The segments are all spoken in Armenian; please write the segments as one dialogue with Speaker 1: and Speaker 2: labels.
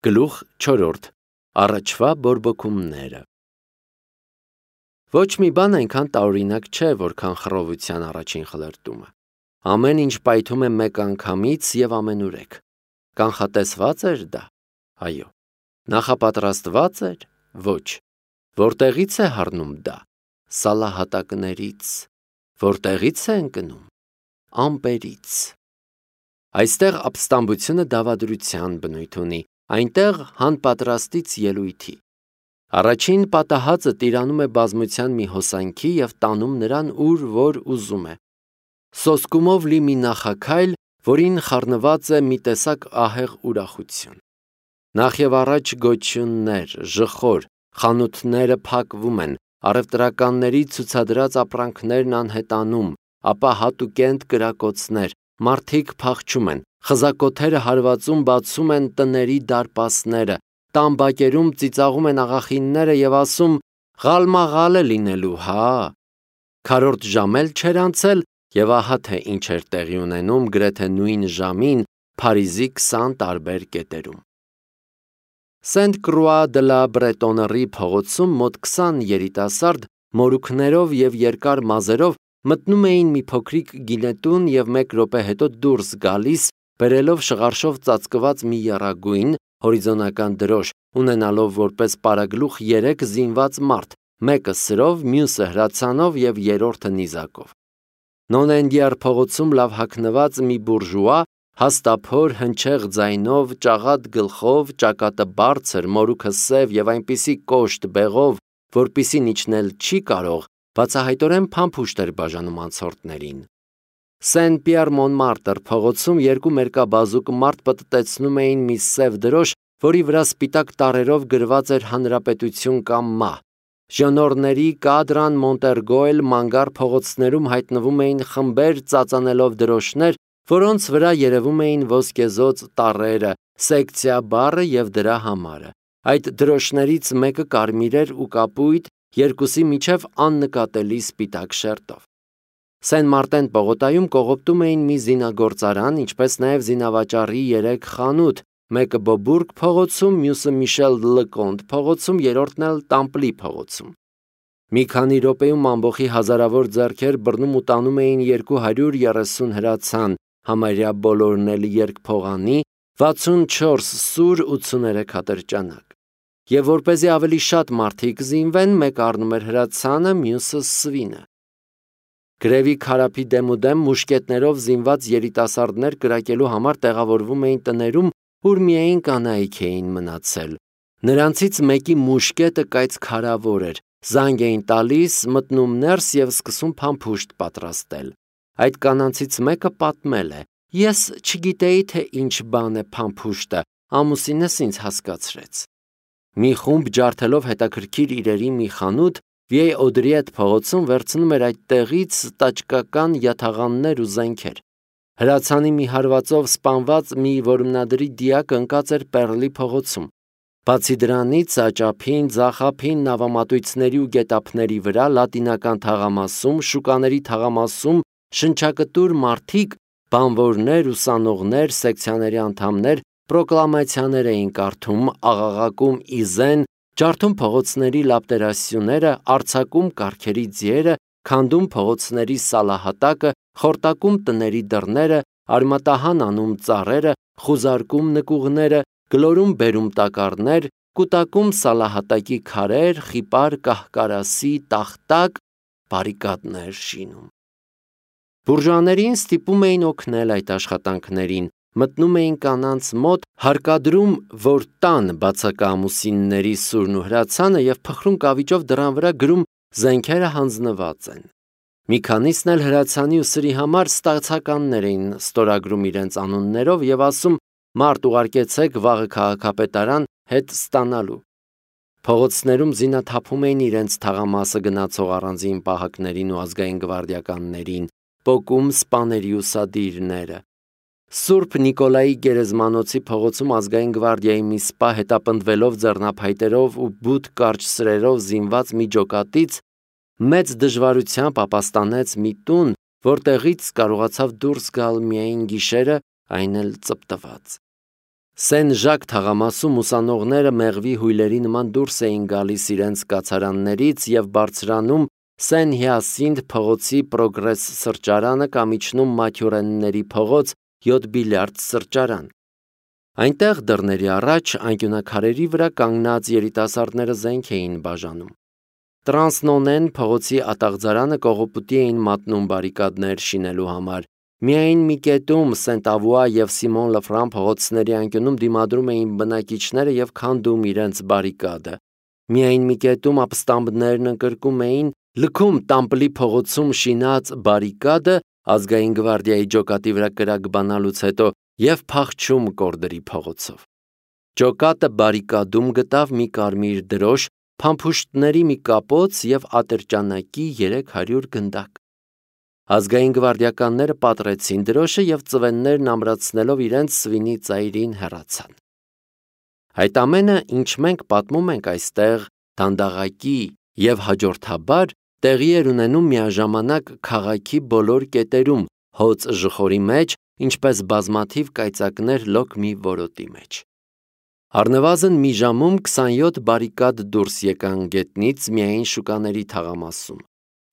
Speaker 1: Գլուխ 4. Առաջվա բորբոքումները։ Ոչ մի բան այնքան տարօրինակ չէ, որքան խռովության առաջին խլրտումը։ Ամեն ինչ պայթում է մեկ անգամից եւ ամենուրեք։ Կանխատեսված էր դա։ Այո։ Նախապատրաստված էր։ Ոչ։ Որտեղից է հառնում դա։ Սալահատակներից։ Որտեղից է ընկնում։ Ամպերից։ Այստեղ ապստամբությունը դավադրության բնույթ ունի, այնտեղ հանպատրաստից ելույթի։ Առաջին պատահածը տիրանում է բազմության մի հոսանքի եւ տանում նրան ուր որ ուզում է։ Սոսկումով լի մի նախաքայլ, որին խառնված է մի տեսակ ահեղ ուրախություն։ Նախ եւ առաջ գոչյուններ, ժխոր, խանութները փակվում են, առևտրականների ցուցադրած ապրանքներն անհետանում, ապա հատուկենտ կրակոցներ, մարդիկ փախչում են, խզակոթերը հարվածում բացում են տների դարպասները, տան բակերում ծիծաղում են աղախինները եւ ասում. «Ղալմաղալ է լինելու, հա»։ Քառորդ ժամ էլ չէր անցել, եւ ահա թե ինչ էր տեղի ունենում գրեթե նույն ժամին Փարիզի 20 տարբեր կետերում։ Սենտ-Կրուա դը լա Բրետոնների փողոցում մոտ 20 երիտասարդ մորուքներով եւ երկար մազերով մտնում էին մի փոքրիկ գինետուն եւ 1 րոպե հետո դուրս գալիս, բերելով շղարշով ծածկված մի եռագույն հորիզոնական դրոշ, ունենալով որպես պարագլուխ 3 զինված մարդ, մեկը սրով, մյուսը հրացանով եւ երրորդը նիզակով։ Նոնենդիար փողոցում լավ հագնված մի բուրժուա, հաստափոր հնչեղ ձայնով, ճաղատ գլխով, ճակատը բարձր, մորուքը սև եւ այնպիսի կոշտ բեղով, որպիսին իջնել չի կարող, բացահայտորեն փամփուշտ էր բաժանում անցորդներին։ Սեն-Պիեր Մոնմարտր փողոցում 2 մերկաբազուկ մարդ պտտեցնում էին մի սև դրոշ, որի վրա սպիտակ տառերով գրված էր Հանրապետություն կամ մահ։ Ժոնորների, Կադրան, Մոնտերգոյլ, Մանգար փողոցներում հայտնվում էին խմբեր ծածանելով դրոշներ, որոնց վրա երևում էին ոսկեզոծ տառերը, սեկցիա բառը եւ դրա համարը։ Այդ դրոշներից մեկը կարմիր էր ու կապույտ, երկուսի միջև աննկատելի սպիտակ շերտով։ Սեն-Մարտեն պողոտայում կողոպտում էին մի զինագործարան, ինչպես նաև զինավաճառի 3 խանութ, մեկը Բոբուրգ փողոցում, մյուսը Միշել Լկոնտ փողոցում, երրորդն էլ Տամպլի փողոցում։ Մի քանի րոպեում ամբողջի հազարավոր ձեռքեր բռնում ու տանում էին 230 հրացան, համարյա բոլորն էլ երկփողանի, 64 սուր, 83 ատրճանակ։ Եվ որպեսզի ավելի շատ մարդիկ զինվեն, մեկը առնում էր հրացանը, մյուսը սվինը։ Գրևի քարափի դեմուդեմ մուշկետներով զինված երիտասարդներ կրակելու համար տեղավորվում էին տներում, ուր միայն կանայք էին մնացել։ Նրանցից մեկի մուշկետը կայծքարավոր էր, զանգ էին տալիս, մտնում ներս եւ սկսում փամփուշտ պատրաստել։ Այդ կանանցից մեկը պատմել է. «Ես չգիտեի, թե ինչ բան է փամփուշտը, ամուսինս ինձ հասկացրեց»։ Մի խումբ ջարդելով հետաքրքիր իրերի մի խանութ Վիեյ Օդրիետ փողոցում վերցնում էր այդ տեղից տաճկական յաթաղաններ ու զենքեր։ Հրացանի մի հարվածով սպանված մի որմնադրի դիակ ընկած էր Պերլի փողոցում։ Բացի դրանից, աճափին, ձախափին, նավամատույցների ու գետափների վրա, լատինական թաղամասում, շուկաների թաղամասում շնչակտուր մարդիկ, բանվորներ, ուսանողներ, սեկցիաների անդամներ պրոկլամացիաներ էին կարդում, աղաղակում իզեն, ջարդում փողոցների լապտերասյուները, արձակում կառքերի ձիերը, քանդում փողոցների սալահատակը, խորտակում տների դռները, արմատահան անում ծառերը, խուզարկում նկուղները, գլորում բերում տակառներ, կուտակում սալահատակի քարեր, խիպար կահկարասի տախտակ, բարիկադներ շինում։ Բուրժուաներին ստիպում էին օգնել այդ աշխատանքներին, մտնում էին կանանց մոտ, հարկադրում, որ տան բացակա ամուսինների սուրն ու հրացանը եւ փխրուն կավիճով դռան վրա գրում զենքերը հանձնված են։ Մի քանիսն էլ հրացանի ու սրի համար ստացականներ էին ստորագրում իրենց անուններով եւ ասում մարդ ուղարկեցեք վաղը քաղաքապետարան հետ ստանալու։ Փողոցներում զինաթափում էին իրենց թաղամասը գնացող առանձին պահակներին ու ազգային գվարդիականներին, պոկում սպաների ուսադիրները։ Սուրբ Նիկոլայի գերեզմանոցի փողոցում ազգային գվարդիայի մի սպա հետապնդվելով ձեռնափայտերով ու բութ կարճ սրերով զինված մի ջոկատից մեծ դժվարությամբ ապաստանեց մի տուն, որտեղից կարողացավ դուրս գալ միայն գիշերը, այն էլ ծպտված։ Սեն-Ժակ թաղամասում ուսանողները մեղվի հույլերի նման դուրս էին գալիս իրենց կացարաններից և բարձրանում Սեն-Հիասինթ փողոցի Պրոգրես սրճարանը կամ իջնում Մաթյուրենների փողոց 7 բիլիարդ սրճարան։ Այնտեղ դռների առաջ անկյունաքարերի վրա կանգնած երիտասարդները զենք էին բաժանում։ Տրանսնոնեն փողոցի ատաղձարանը կողոպուտի էին մատնում բարիկադներ շինելու համար։ Միայն մի կետում Սենտ-Ավուա և Սիմոն Լֆրան փողոցների անկյունում դիմադրում էին բնակիչները և քանդում իրենց բարիկադը։ Միայն մի կետում ապստամբներն ընկրկում էին լքում Տամպլի փողոցում շինած բարիկադը Ազգային գվարդիայի ջոկատի վրա կրակ բանալուց հետո և փախչում Կորդերի փողոցով։ Ջոկատը բարիկադում գտավ մի կարմիր դրոշ, փամփուշտների մի կապոց և ատրճանակի 300 գնդակ։ Ազգային գվարդիականները պատռեցին դրոշը և ծվեններն ամրացնելով իրենց սվինի ծայրին հեռացան։ Այդ ամենը, ինչ մենք պատմում ենք այստեղ, դանդաղակի և հաջորդաբար տեղի էր ունենում միաժամանակ քաղաքի բոլոր կետերում, հոծ ժխորի մեջ, ինչպես բազմաթիվ կայծակներ լոկ մի որոտի մեջ։ Առնվազն մի ժամում 27 բարիկադ դուրս եկան գետնից միայն շուկաների թաղամասում։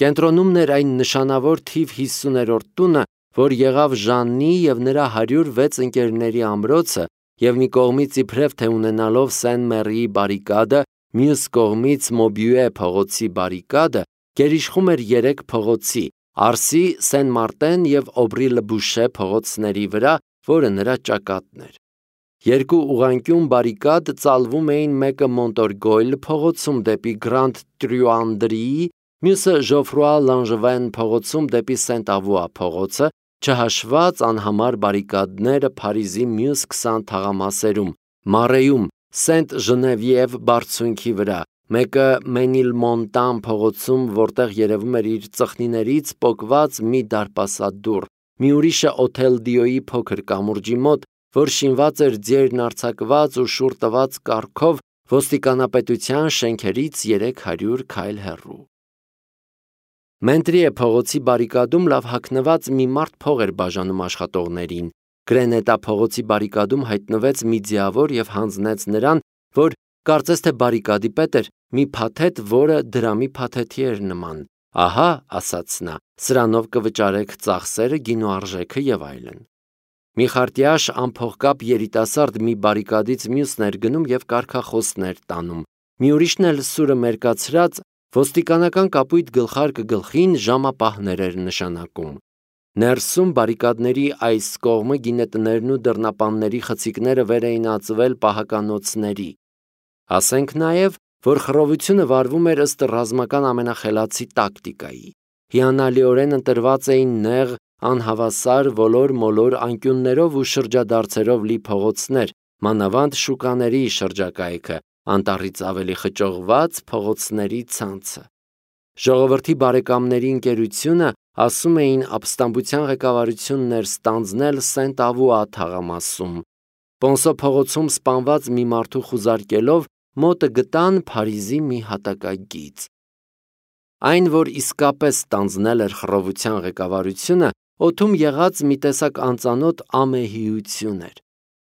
Speaker 1: Կենտրոնում էր այն նշանավոր թիվ 50-րդ տունը, որ եղավ Ժաննի և նրա 106 ընկերների ամրոցը և մի կողմից իբրև թե ունենալով Սեն-Մեռիի բարիկադը, մյուս կողմից Մոբյուե փողոցի բարիկադը, գերիշխում էր 3 փողոցի՝ Արսի, Սեն-Մարտեն և Օբրի-Լը-Բուշե փողոցների վրա, որը նրա ճակատն էր։ Երկու ուղղանկյուն բարիկադ ծալվում էին, մեկը Մոնտորգոյլ փողոցում դեպի Գրանդ Տրյուանդրիի, մյուսը Ժոֆրուա Լանժվեն փողոցում դեպի Սենտ-Ավուա փողոցը, չհաշված անհամար բարիկադները Փարիզի մյուս 20 թաղամասերում՝ Մարեում, Սենտ-Ժնևիև բարձունքի վրա, մեկը Մենիլմոնտան փողոցում, որտեղ երևում էր իր ծխնիներից պոկված մի դարպասադուռ, մի ուրիշը Օթել Դիոյի փոքր կամուրջի մոտ, որ շինված էր ձյերն արձակված ու շուռ տված կառքով ոստիկանապետության շենքերից 300 քայլ հեռու։ Մենտրիե փողոցի բարիկադում լավ հագնված մի մարդ փող էր բաժանում աշխատողներին։ Գրենետա փողոցի բարիկադում հայտնվեց մի ձիավոր և հանձնեց նրան, որ կարծես թե բարիկադի պետ էր, մի փաթեթ, որը դրամի փաթեթի էր նման։ Ահա, ասաց նա, սրանով կվճարեք ծախսերը, գինու արժեքը և այլն։ Մի խարտյաշ անփողկապ երիտասարդ մի բարիկադից մյուսն էր գնում և կարգախոսներ տանում։ Մի ուրիշն էլ սուրը մերկացրած ոստիկանական կապույտ գլխարկը գլխին ժամապահներ էր նշանակում։ Ներսում բարիկադների այս կողմը գինետներն ու դռնապանների խցիկները վեր էին ածվել պահականոցների։ Ասենք նաև, որ խռովությունը վարվում էր ըստ ռազմական ամենախելացի տակտիկայի։ Հիանալիորեն ընտրված էին նեղ, անհավասար, ոլոր-մոլոր անկյուններով ու շրջադարձերով լի փողոցներ, մանավանդ շուկաների շրջակայքը, անտառից ավելի խճողված փողոցների ցանցը։ Ժողովրդի բարեկամների ընկերությունը, ասում էին, ապստամբության ղեկավարությունն էր ստանձնել Սենտ-Ավուա թաղամասում։ Պոնսո փողոցում սպանված մի մարդու խուզարկելով մոտը գտան Փարիզի մի հատակագիծ։ Այն, որ իսկապես ստանձնել էր խռովության ղեկավարությունը, օդում եղած մի տեսակ անծանոթ ամեհիություն էր։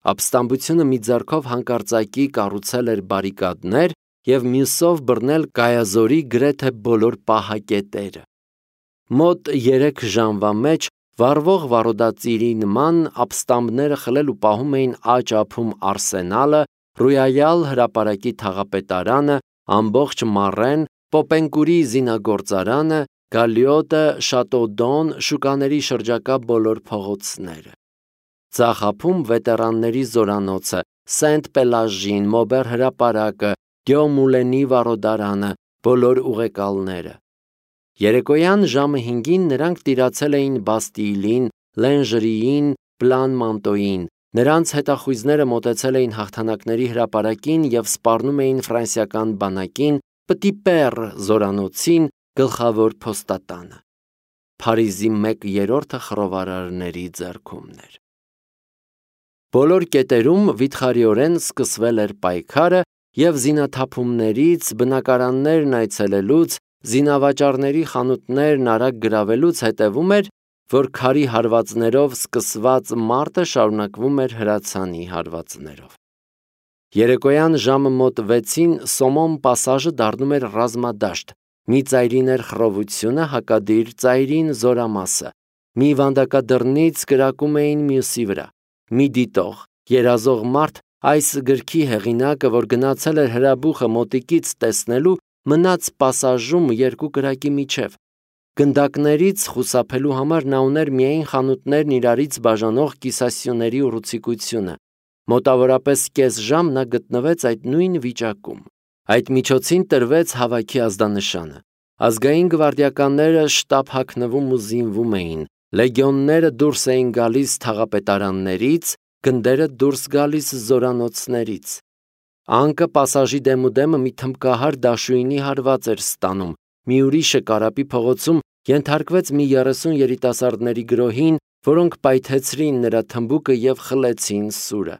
Speaker 1: Ապստամբությունը մի ձեռքով հանկարծակի կառուցել էր բարիկադներ և մյուսով բռնել կայազորի գրեթե բոլոր պահակետերը։ Մոտ 3 ժամվա մեջ վառվող վարոդածիրի նման ապստամբները խլել ու պահում էին աջ ափում Արսենալը, Ռոյալ հրապարակի թաղապետարանը, ամբողջ Մարեն, Պոպենկուրի զինագործարանը, Գալիոտը, Շատոդոն, շուկաների շրջակա բոլոր փողոցները։ Ձախ ափում վետերանների զորանոցը, Սենտ-Պելաժին, Մոբեր հրապարակը, Դյոմուլենի վարոդարանը, բոլոր ուղեկալները։ Երեկոյան ժամը 5-ին նրանք տիրացել էին Բաստիլին, Լենժրիին, Պլան Մանտոյին։ Նրանց հետախույզները մոտեցել էին հաղթանակների հրապարակին և սպառնում էին ֆրանսիական բանակին, Պտի Պեռ զորանոցին, գլխավոր փոստատանը։ Փարիզի 1/3 խռովարարների ձեռքումն էր։ Բոլոր կետերում վիթխարիորեն սկսվել էր պայքարը և զինաթափումներից, բնակարաններն այցելելուց, զինավաճառների խանութներն արագ գրավելուց հետևում էր որ քարի հարվածներով սկսված մարտը շարունակվում էր հրացանի հարվածներով։ Երեկոյան ժամը մոտ 6-ին Սոմոն պասաժը դառնում էր ռազմադաշտ, մի ծայրին էր խռովությունը, հակադիր ծայրին զորամասը, մի վանդակադռնից կրակում էին մյուսի վրա, մի դիտող, երազող մարդ, այս գրքի հեղինակը, որ գնացել էր հրաբուխը մոտիկից տեսնելու, մնաց պասաժում երկու կրակի միջև։ Գնդակներից խուսափելու համար նա ուներ միայն խանութներն իրարից բաժանող կիսասյուների ուռուցիկությունը։ Մոտավորապես կես ժամ նա գտնվեց այդ նույն վիճակում։ Այդ միջոցին տրվեց հավաքի ազդանշանը։ Ազգային գվարդիականները շտապ հագնվում ու զինվում էին, լեգիոնները դուրս էին գալիս թաղապետարաններից, գնդերը դուրս գալիս զորանոցներից։ Անկը պասաժի դեմուդեմը մի թմբկահար դաշույնի հարված էր ստանում, մի ուրիշը Կարապի փողոցում ենթարկվեց մի 30 երիտասարդների գրոհին, որոնք պայթեցրին նրա թմբուկը և խլեցին սուրը։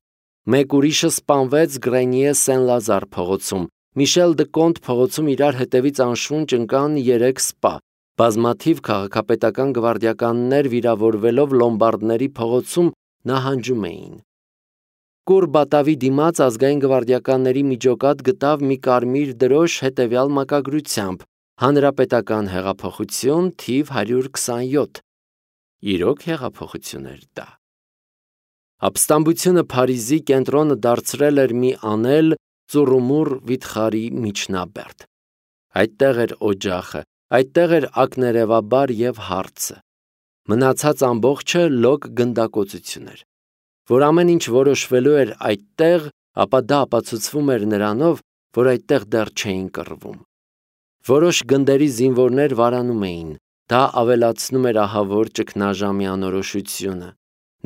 Speaker 1: Մեկ ուրիշը սպանվեց Գրենիե Սեն-Լազար փողոցում, Միշել դը Կոնտ փողոցում իրար հետևից անշունչ ընկան 3 սպա, բազմաթիվ քաղաքապետական գվարդիականներ վիրավորվելով Լոմբարդների փողոցում նահանջում էին։ Կուրբատավի դիմաց ազգային գվարդիականների միջոկատ գտավ մի կարմիր դրոշ հետևյալ մակագրությամբ. Հանրապետական հեղափոխություն թիվ 127։ Իրոք հեղափոխություն էր դա։ Ապստամբությունը Փարիզի կենտրոնը դարձրել էր մի անել ծուռումուռ վիթխարի միջնաբերդ։ Այդտեղ էր օջախը, այդտեղ էր ակներևաբար և հարցը։ Մնացած ամբողջը լոկ գնդակոծություն էր։ Որ ամեն ինչ որոշվելու էր այդտեղ, ապա դա ապացուցվում էր նրանով, որ այդտեղ դեռ չէին կռվում։ Որոշ գնդերի զինվորներ վարանում էին, դա ավելացնում էր ահավոր ճգնաժամի անորոշությունը։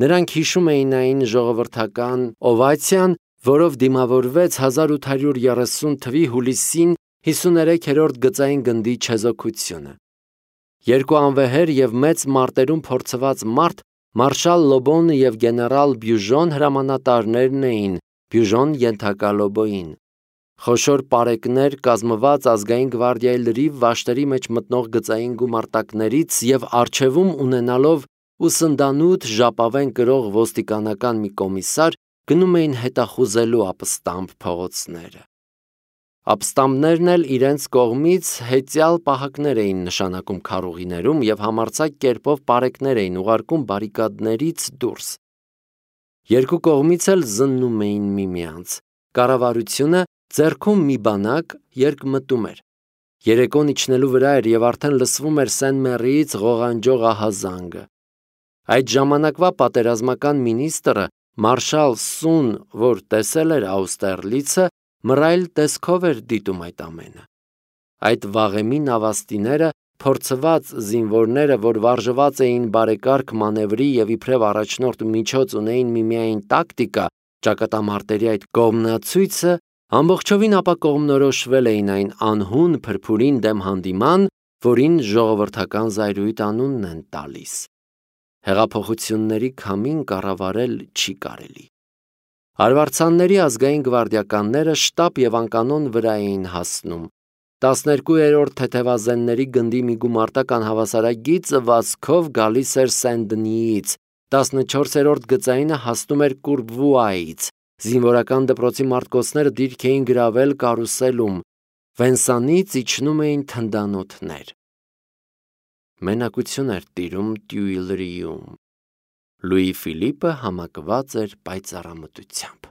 Speaker 1: Նրանք հիշում էին այն ժողովրդական օվացիան, որով դիմավորվեց 1830 թվականի հուլիսին 53-րդ գծային գնդի չեզոքությունը։ Երկու անվեհեր և մեծ մարտերում փորձված մարդ մարշալ Լոբոնը և գեներալ Բյուժոն հրամանատարներն էին, Բյուժոն ենթակա Լոբոյին։ Խոշոր պարեկներ կազմված ազգային գվարդիայի լրիվ վաշտերի մեջ մտնող գծային գումարտակներից և առջևում ունենալով ուսնդանութ ժապավեն կրող ոստիկանական մի կոմիսար գնում էին հետախուզելու ապստամբ փողոցները։ Ապստամբներն էլ իրենց կողմից հեծյալ պահակներ էին նշանակում քարուղիներում և համարձակ կերպով պարեկներ էին ուղարկում բարիկադներից դուրս։ Երկու կողմից էլ զննում էին միմյանց։ Կառավարությունը ձեռքում մի բանակ երկմտում էր։ Երեկոն իջնելու վրա էր և արդեն լսվում էր Սեն-Մեռիից ղողանջող ահազանգը։ Այդ ժամանակվա պատերազմական մինիստրը մարշալ Սուն, որ տեսել էր Աուստերլիցը, մռայլ տեսքով էր դիտում այդ ամենը։ Այդ վաղեմի նավաստիները, փորձված զինվորները, որ վարժված էին բարեկարգ մանևրի և իբրև առաջնորդ միջոց ունեին միմիայն տակտիկա, ճակատամարտերի այդ կողմնացույցը, ամբողջովին ապակողմնորոշվել էին այն անհուն փրփուրին դեմ հանդիման, որին ժողովրդական զայրույթ անունն են տալիս։ Հեղափոխությունների քամին կառավարել չի կարելի։ Արվարձանների ազգային գվարդիականները շտապ և անկանոն վրա էին հասնում։ 12-րդ թեթևազենների գնդի մի գումարտակ անհավասարագիծ վազքով գալիս էր Սեն-Դնիից, 14-րդ գծայինը հասնում էր Կուրբվուայից, զինվորական դպրոցի մարտկոցները դիրք էին գրավել կարուսելում, Վենսանից իջնում էին թնդանոթներ։ Մենակություն էր տիրում Տյուիլրիում։ Լուի Ֆիլիպը համակված էր պայծառամտությամբ։